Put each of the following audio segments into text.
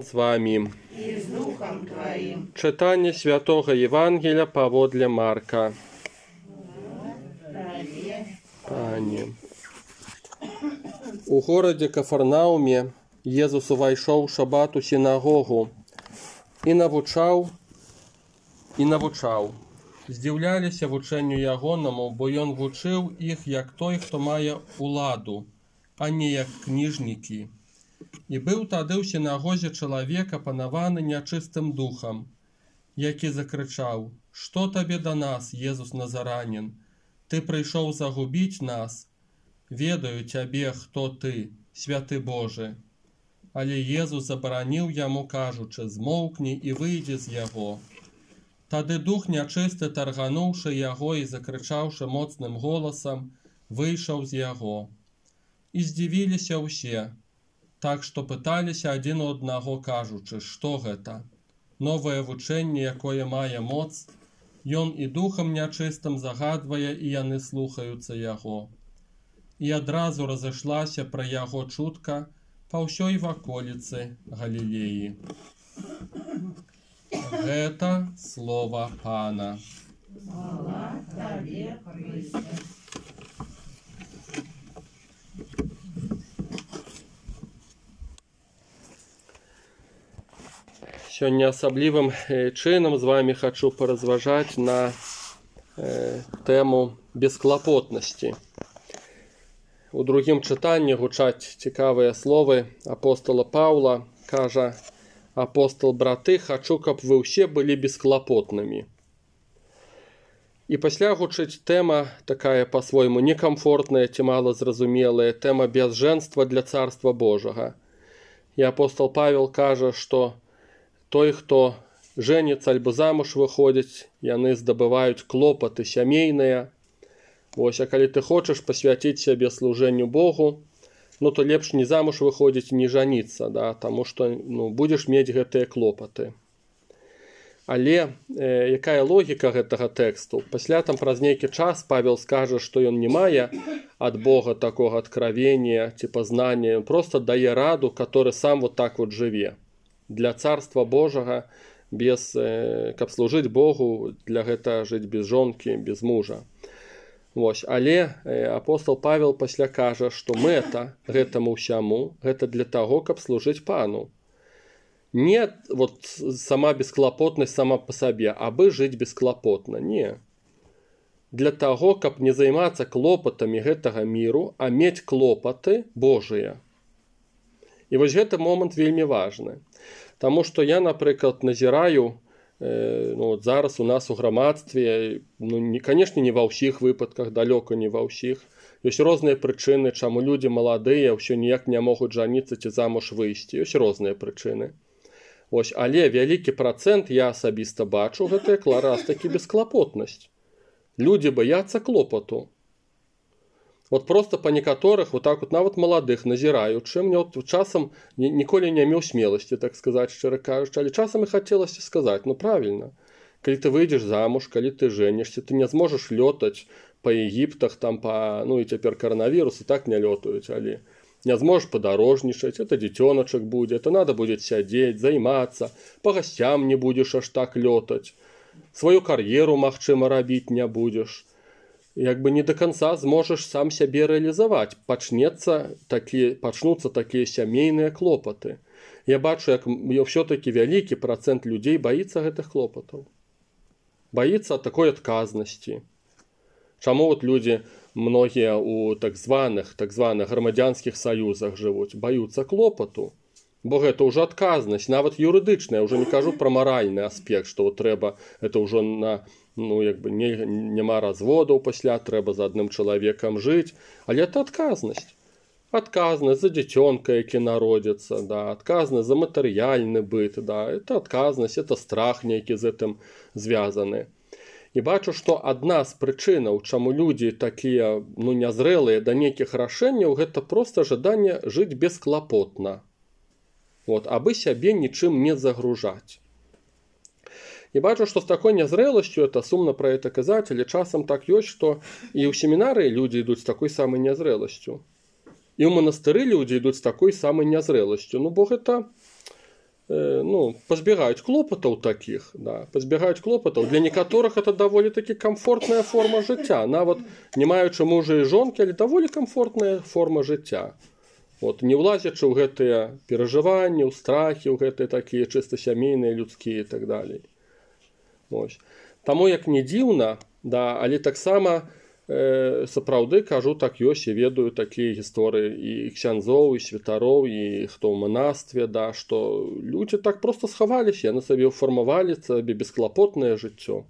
З вами и с Духом Твоим. читання Святого Євангелія паводле Марка. Пані. У городі Кафарнаумі Єзус увайшов шабат у синагогу і навучав. Здзіўляліся вученню ягонаму, бо ён вучыў іх як той, хто мае уладу, а не як кніжнікі. І быў тады ў сінагозе чалавек, апанаваны нячыстым духам, які закрычаў: «Што табе да нас, Езус Назаранін? Ты прыйшоў загубіць нас? Ведаю цябе, хто ты, святы Божы». Але Езус забараніў яму, кажучы: «Змоўкні і выйдзі з яго». Тады дух нячысты, таргануўшы яго і закрычаўшы моцным голасам, выйшаў з яго. І здзівіліся ўсе, так што пыталіся адзін у аднаго, кажучы: «Што гэта? Новае вучэнне, якое мае моц, ён і духам нячыстым загадвае, і яны слухаюцца яго». І адразу разышлася пра яго чутка па ўсёй ваколіцы Галілеі. Гэта слова Пана. Слава Тебе, Христе. Сёння асаблівым чынам з вами хачу паразважаць на тэму бесклапотнасці. У другім чытанні гучаць цікавыя словы апостола Паўла. Кажа апостол: «Браты, хачу, каб вы ўсе былі бесклапотнымі». І пасля гучыць тэма такая па-свойму некамфортная ці малазразумелая, тэма бязжэнства для Царства Божага. І апостол Павел кажа, што той, хто жэніцца альбо замуж выходзіць, яны здабываюць клопаты сямейныя. Вось, а калі ты хочаш пасвяціць сябе служэнню Богу, то лепш не замуж выходзіць, не жаніцца, таму што будзеш мець гэтыя клопаты. Але якая логіка гэтага тэксту? Пасля там праз нейкі час Павел скажа, што ён не мае ад Бога такога адкравення ці пазнання, ён проста дае раду, который сам вот так вот жыве. Для Царства Божага, каб служыць Богу, для гэта жыць без жонкі, без мужа. Вось, але апостол Павел пасля кажа, што мэта гэтаму ўсяму, гэта для таго, каб служыць Пану. Не вот сама бесклапотнасць сама па сабе, абы жыць бесклапотна, не. Для таго, каб не займацца клопатамі гэтага міру, а мець клопаты Божыя. І вось гэты момант вельмі важны. Таму што я, напрыклад, назіраю, зараз у нас у грамадстве, канешне, не ва ўсіх выпадках, далёка не ва ўсіх. Ёсць розныя прычыны, чаму людзі маладыя ўсё ніяк не могуць жаніцца ці замуж выйсці. Ёсць розныя прычыны. Ось, але вялікі працэнт, я асабіста бачу, гэта якраз такі бесклапотнасць. Людзі баяцца клопату. Вот просто па некаторых, вот так вот нават маладых назіраючы, мне вот часам ніколі не меў смеласці, так сказаць, шчыра кажучы, але часам і хацелася сказаць: правільна, калі ты выйдзеш замуж, калі ты жэнішся, ты не зможаш лётаць па Егіптах, там і цяпер каранавірус, і так не лётаюць, але не зможаш падарожнічаць, это дзіцёначак будзе, это надо будзе сядзець, займацца, па гасцям не будзеш аж так лётаць, сваю кар'еру, магчыма, рабіць не будзеш. Не до конца зможаш сам сябе рэалізаваць. Пачнуцца такія сямейныя клопаты. Я бачу, як ўсё-такі вялікі працэнт людзей баіцца гэтых клопатаў. Баіцца такой адказнасці. Чаму вот людзі, многія у так званых грамадзянскіх саюзах жывуць, баюцца клопату? Бо гэта ўжо адказнасць, нават юрыдычная, ўжо не кажу пра маральны аспект, што трэба, это ўжо няма разводаў пасля, трэба за адным чалавекам жыць, але это адказнасць. Адказнасць за дзіцёнка, які народзіцца, адказнасць за матэрыяльны быт, это адказнасць, это страх нейкі з гэтым звязаны. І бачу, што адна з прычынаў, чаму людзі такія нязрэлыя да нейкіх рашэнняў, гэта проста жаданне жыць бесклапотна. Абы сябе нічым не загружаць. І бачу, што з такой нязрэласцю, это сумна пра гэта казаць, але часам так ёсць, што і ў семінарыі людзі ідуць з такой самай нязрэласцю. І ў манастыры людзі ідуць з такой самай нязрэласцю. Бо гэта пазбягаюць клопатаў такіх, да, пазбягаюць клопатаў. Для некаторых это даволі такі камфортная форма жыцця, нават не маючы мужа і жонкі, але даволі камфортная форма жыцця. Не ўлазячы ў гэтыя перажыванні, ў страхі, ў гэтыя такія чыста сямейныя, людскія і так далей. Таму як не дзіўна, да, але таксама сапраўды кажу, так ёсць, я ведаю такія гісторыі і ксяндзоў, і святароў, і хто ў манастве, да, што людзі так проста схаваліся, яны сабе фармавалі сабе бесклапотнае жыццё.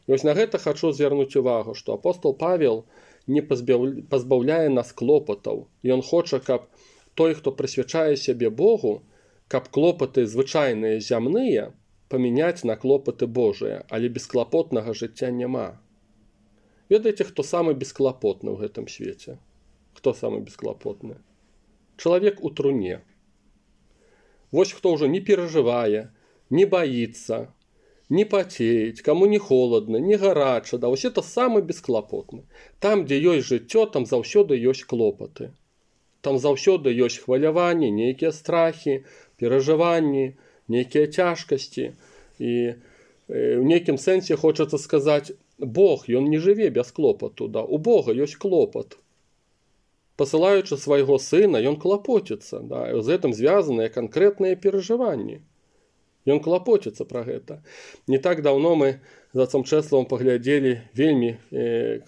І на гэта хачу звярнуць увагу, што апостол Павел не пазбаўляе нас клопатаў. Ён хоча, каб той, хто прысвячае сябе Богу, каб клопаты звычайныя зямныя памяняць на клопаты Божыя, але бесклапотнага жыцця няма. Ведаеце, хто самы бесклапотны ў гэтым свеце? Хто самы бесклапотны? Чалавек у труне. Вось хто ўжо не перажывае, не баіцца, не пацеець, каму не холодна, не гарача, да, вось это самы бесклапотны. Там, дзе ёсць жыццё, там заўсёды ёсць клопаты. Там заўсёды ёсць хваляванні, нейкія страхі, перажыванні, нейкія цяжкасці. І ў нейкім сэнсе хочацца сказаць, Бог, ён не жыве без клопату, да, у Бога ёсць клопат. Пасылаючы свайго сына, ён клапоціцца, да, і з гэтым звязаныя канкрэтныя перажыванні. Ён клапоціцца пра гэта. Не так даўно мы з отцом Чэславам паглядзелі вельмі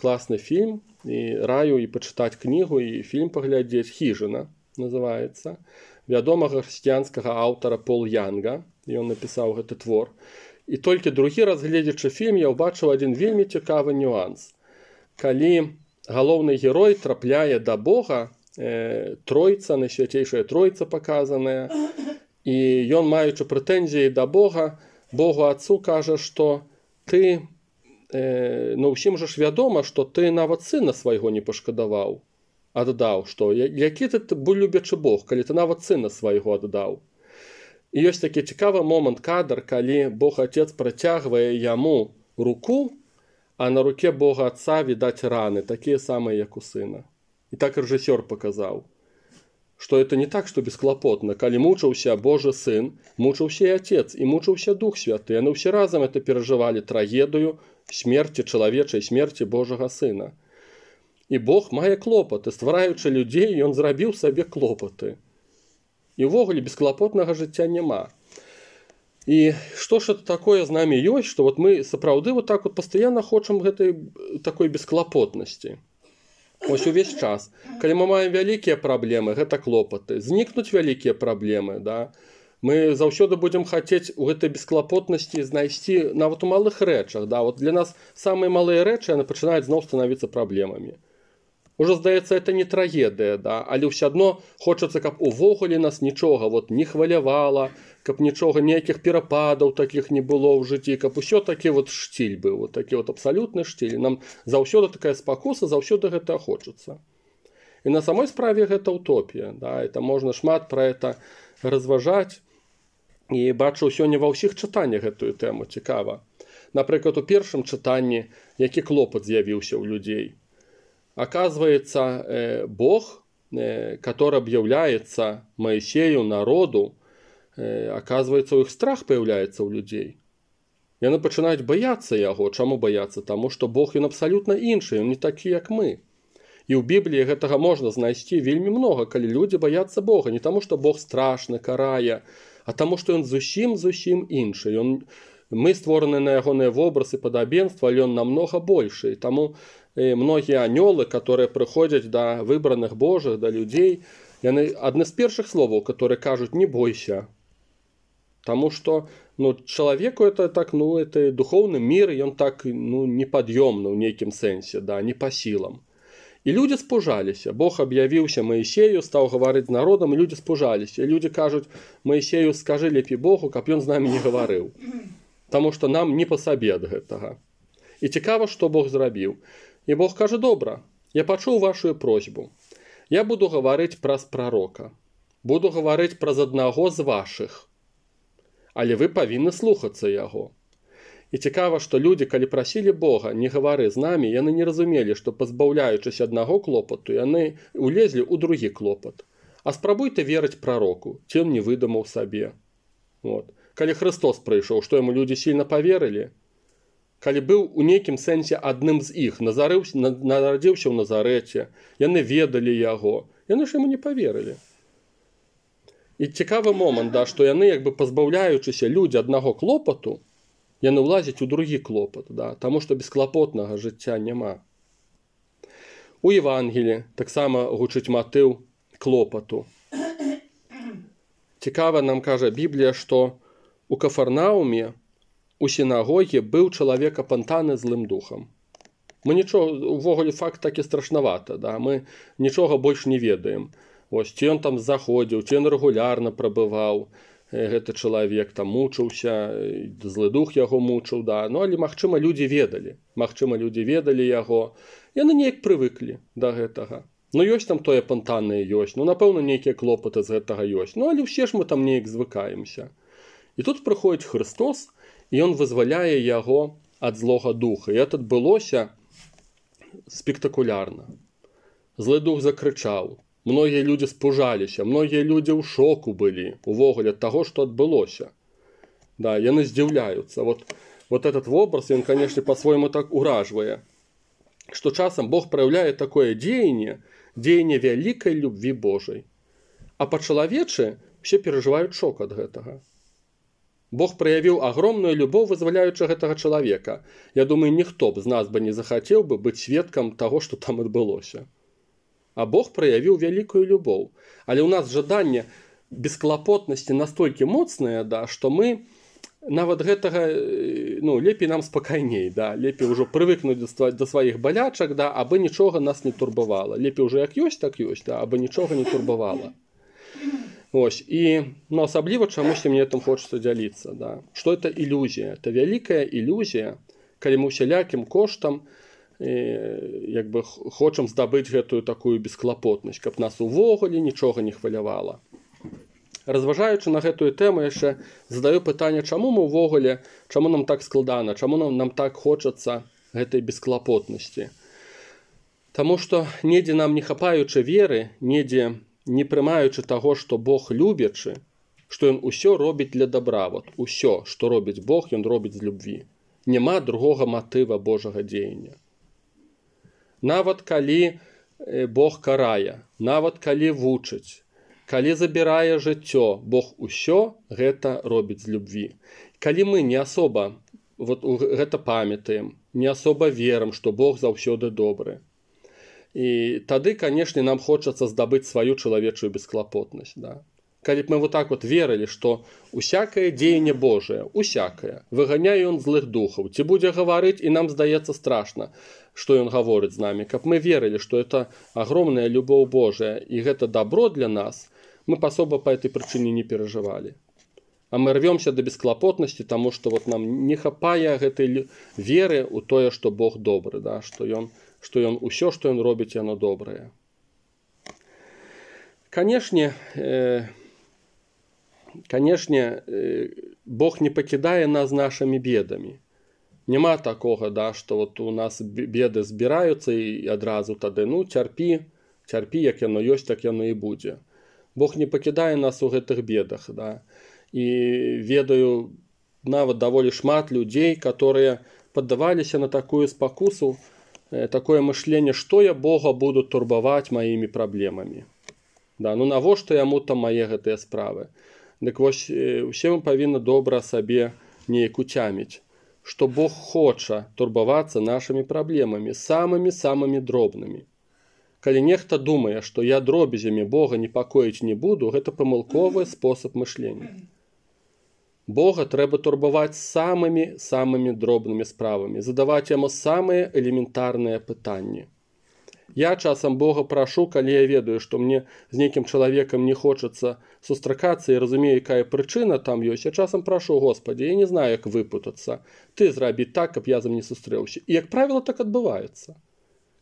класны фільм, і раю і пачытаць кнігу, і фільм паглядзець, «Хіжына» называецца, вядомага хрысціянскага аўтара Пол Янга, ён напісаў гэты твор. І толькі другі раз, гледзячы фільм, я ўбачыў адзін вельмі цікавы нюанс. Калі галоўны герой трапляе да Бога, тройца, найсвяцейшая тройца паказаная, і ён, маючы прэтэнзіі да Бога, Богу Отцу кажа, што ты, ўсім жа ж вядома, што ты нават сына свайго не пашкадаваў, аддаў, што які ты быў любячы Бог, калі ты нават сына свайго аддаў. І ёсць такі цікавы момант, кадр, калі Бог Отец працягвае яму руку, а на руке Бога Отца відаць раны, такія самыя, як у сына. І так рэжысёр паказаў, што это не так, што бесклапотна. Калі мучыўся Божы сын, мучыўся і Отец, і мучыўся Дух Святы. Яны ўсе разам это перажывалі трагедыю смерці, чалавечай смерці Божага сына. І Бог мае клопаты. Ствараючы людзей, ён зрабіў сабе клопаты. І ўвогуле бесклапотнага жыцця няма. І што ж это такое з намі ёсць, што мы сапраўды так пастаянна хочам гэтай такой бесклапотнасці. Ось увесь час. Калі мы маем вялікія праблемы, гэта клопаты. Знікнуць вялікія праблемы, да? Мы заўсёды будзем хацець у гэтай бесклапотнасці знайсці нават у малых рэчах. Да? Для нас самыя малыя рэчы, яны пачынаюць зноў становіцца праблемамі. Уже, здаецца, это не трагедыя, да? Але ўсё адно хочацца, каб увогуле нас нічога не хвалявала, каб нічога, ніякіх перападаў такіх не было ў жыцці, каб усё такі штиль быў, такі абсалютны штиль. Нам заўсёды такая спакуса, заўсёды гэта хочацца. І на самой справе гэта утопія, да? Это можна шмат пра это разважаць. І бачу сёння ва ўсіх чытаннях гэтую тэму, цікава. Напрыклад, у першым чытанні, які клопат з'явіўся ў людзей. Оказывается, Бог, который объявляется Моисею, народу, оказывается, у их страх появляется у людей. И они начинают бояться его. Чему бояться? Тому, что Бог, он абсолютно інший, он не такий, как мы. И в Библии этого можно знайти вельми много, коли люди боятся Бога. Не тому, что Бог страшный, карая, а тому, что он зусім інший. Мы створаны на ягоныя вобразы падабенства, але он намного больше. И тому многие анёлы, которые приходят до выбранных Божьих, до людей, одни з перших слов, которые кажут «не бойся». Потому что человеку это так, это духовный мир, и он так неподъемный в неким сенсе, да, не по силам. И люди спужались. Бог объявился Моисею, стал говорить с народом, и люди спужались. И люди кажут Моисею, скажи лепей Богу, каб ён з нами не говорил. Потому что нам не по сабе ад гэтага. И цікава, что Бог зрабіў. И Бог каже, добра, я пачуў вашу просьбу. Я буду говорить праз пророка. Буду говорить праз аднаго з ваших. Але вы павінны слухацца яго. І цікава, што людзі, калі прасілі Бога, не гавары з намі, яны не разумелі, што пазбаўляючыся аднаго клопату, яны улезлі ў другі клопат. А спрабуйце верыць прароку, ці ён не выдумаў сабе. Вот. Калі Христос прыйшоў, што яму людзі сильна паверылі? Калі быў у нейкім сэнсе адным з іх, нарадзіўся ў Назарэце, яны ведалі яго, яны ж яму не паверылі. І цікавы момант, да, што яны, як бы пазбаўляючыся людзі аднаго клопату, яны ўлазяць у другі клопат, да, таму што бесклапотнага жыцця няма. У Евангелі таксама гучыць матыў клопату. Цікава нам кажа Біблія, што у Кафарнауме у сінагогі быў чалавек апантаны злым духам. Мы нічога, увогуле факт такі страшнавата, да, мы нічога больш не ведаем. Ось, ці ён там заходзіў, ці ён рэгулярна прабываў, гэты чалавек там мучыўся, злы дух яго мучыў, да. Ну, але, магчыма, людзі ведалі яго, яны неяк прывыклі да гэтага. Ну, ёсць там тое апантанае ёсць, ну, напэўна, нейкія клопаты з гэтага ёсць, ну, але ўсе ж мы там неяк звыкаемся. І тут прыходзіць Христос, і ён вызваляе яго ад злога духа. І это адбылося спектакулярна. Злы дух закрычаў. Многія людзі спужаліся, многія людзі ў шоку былі увогуле ад таго, што адбылося. Да, яны здзіўляюцца. Вот этот вобраз, ён, канешне, па-свойму так уражвае, што часам Бог праяўляе такое дзеянне вялікай любві Божай. А па-чалавечы ўсе перажываюць шок ад гэтага. Бог праявіў агромную любоў, вызваляючы гэтага чалавека. Я думаю, ніхто б з нас бы не захацеў бы быць сведкам таго, што там адбылося. А Бог праявіў вялікую любоў. Але ў нас жаданне бесклапотнасці настолькі моцнае, да, што мы нават гэтага, ну, лепей нам спакайней, да, лепей ўжо прывыкнуць да сваіх балячак, да, абы нічога нас не турбавала. Лепей ўжо як ёсць, так ёсць, да, абы нічога не турбавала. Ось, і, ну, асабліва чамусьці мне там хочацца дзяліцца, да. Што это ілюзія? Это вялікая ілюзія, калі мы усялякім коштам як бы хочам здабыць гэтую такую бесклапотнасць, каб нас увогуле нічога не хвалявала. Разважаючы на гэтую тэму, яшчэ задаю пытанне, чаму мы ўвогуле, чаму нам так складана, чаму нам так хочацца гэтай бесклапотнасці. Таму што недзе нам не хапаючы веры, недзе не прымаючы таго, што Бог любячы, што ён усё робіць для добра. Вот усё, што робіць Бог, ён робіць з любві. Няма другога матыва Божага дзеяння. Нават калі Бог карае, нават калі вучыць, калі забірае жыццё, Бог усё гэта робіць з любві. Калі мы не асоба гэта памятаем, не асоба верым, што Бог заўсёды добры, і тады, канешне, нам хочацца здабыць сваю чалавечую бесклапотнасць. Да? Калі б мы вот так вот верылі, што усякае дзеянне Божае, усякае, выганяе ён злых духаў, ці будзе гаварыць, і нам здаецца страшна, што ён гаворыць з намі, каб мы верылі, што это агромная любоў Божая, і гэта добро для нас, мы асоба па этой прычыне не перажывалі. А мы рвёмся да бесклапотнасці, таму што вот нам не хапае гэтай веры ў тое, што Бог добры, да? што ён усё, што ён робіць, яно добрае. Канешне, Бог не пакідае нас нашымі бедамі. Няма такога, да, што вот у нас беды збіраюцца і адразу тады, ну, цярпі, як яно ёсць, так яно і будзе. Бог не пакідае нас у гэтых бедах, да. І ведаю нават даволі шмат людзей, которые паддаваліся на такую спакусу, такое мышленне, што я Бога буду турбаваць маімі праблемамі. Да, ну навошта яму там мае гэтыя справы? Дык вось усе мы павінны добра сабе неяк уцяміць, што Бог хоча турбавацца нашымі праблемамі, самымі дробнымі. Калі нехта думае, што я дробязямі Бога непакоіць не буду, гэта памылковы спосаб мышлення. Бога трэба турбаваць самымі дробнымі справамі, задаваць яму самыя элементарныя пытанні. Я часам Бога прашу, калі я ведаю, што мне з нейкім чалавекам не хочацца сустракацца і разумею, якая прычына там ёсць, я часам прашу, Господі, я не знаю, як выпутацца. Ты зрабі так, каб я з ім не сустрэўся. І, як правіла, так адбываецца.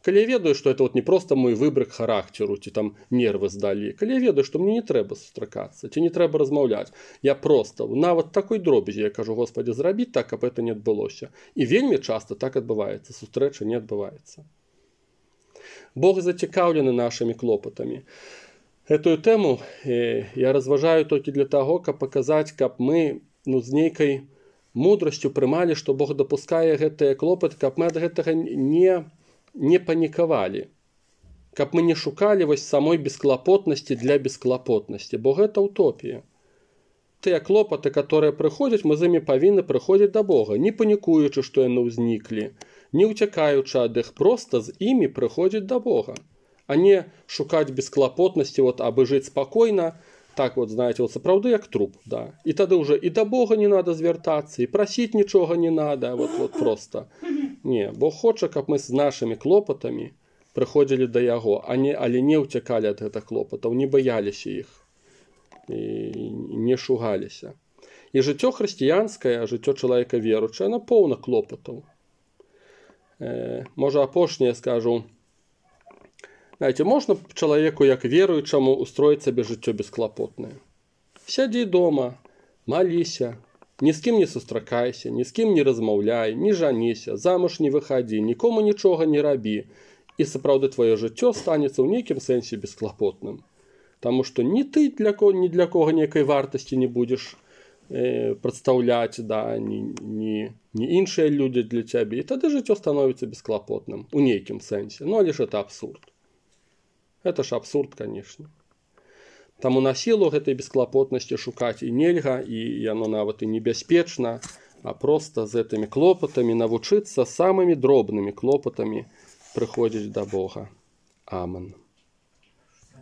Калі я ведаю, што это вот не проста мой выбрык характару, ці там нервы здалі, калі я ведаю, што мне не трэба сустракацца, ці не трэба размаўляць, я проста, нават такой дробязі, я кажу, Господі, зрабі так, каб это не адбылося. І вельмі часта так адбываецца, сустрэча не адбываецца. Бог зацікаўлены нашымі клопатамі. Гэтую тэму я разважаю толькі для таго, каб паказаць, каб мы з нейкай мудрасцю прымалі, што Бог дапускае гэтыя клопаты, каб мы ад гэтага не панікавалі. Каб мы не шукалі вось самой бесклапотнасці для бесклапотнасці, бо гэта утопія. Тыя клопаты, которые прыходзяць, мы з імі павінны прыходзіць да Бога, не панікуючы, што яны ўзніклі, не ўцякаючы ад іх, проста з імі прыходзіць да Бога, а не шукаць бесклапотнасці, абы жыць спакойна, так знаете, сапраўды як труп, да. І тады ўжо і да Бога не надо звяртацца, і прасіць нічога не надо, проста. Не, Бог хоча, каб мы з нашымі клопатамі прыходзілі да Яго, але не ўцякалі ад гэтых клопатаў, не баяліся іх. І не шугаліся. І жыццё хрысціянскае, жыццё чалавека веруючае, яно поўна клопатаў. Можа, апошняе скажу. Знаете, можна чалавеку, як веруючаму, устроіць сабе жыццё бесклапотнае. Сядзі дома, маліся, ні з кім не сустракайся, ні з кім не размаўляй, не жаніся, замуж не выхадзі, нікому нічога не рабі. І сапраўды твоё жыццё станецца ў нейкім сэнсе бесклапотным. Таму што ні ты ні для кого нейкай вартасці не будзеш прадстаўляць, да, ні іншыя людзі для цябе. І тады жыццё становіцца бесклапотным у нейкім сэнсе. Але ж это абсурд. Это ж абсурд, канешне. Таму на сілу гэтай бесклапотнасці шукаць і нельга, і яно нават і небяспечна, а проста з гэтымі клопатамі навучыцца самымі дробнымі клопатамі прыходзіць да Бога. Амен.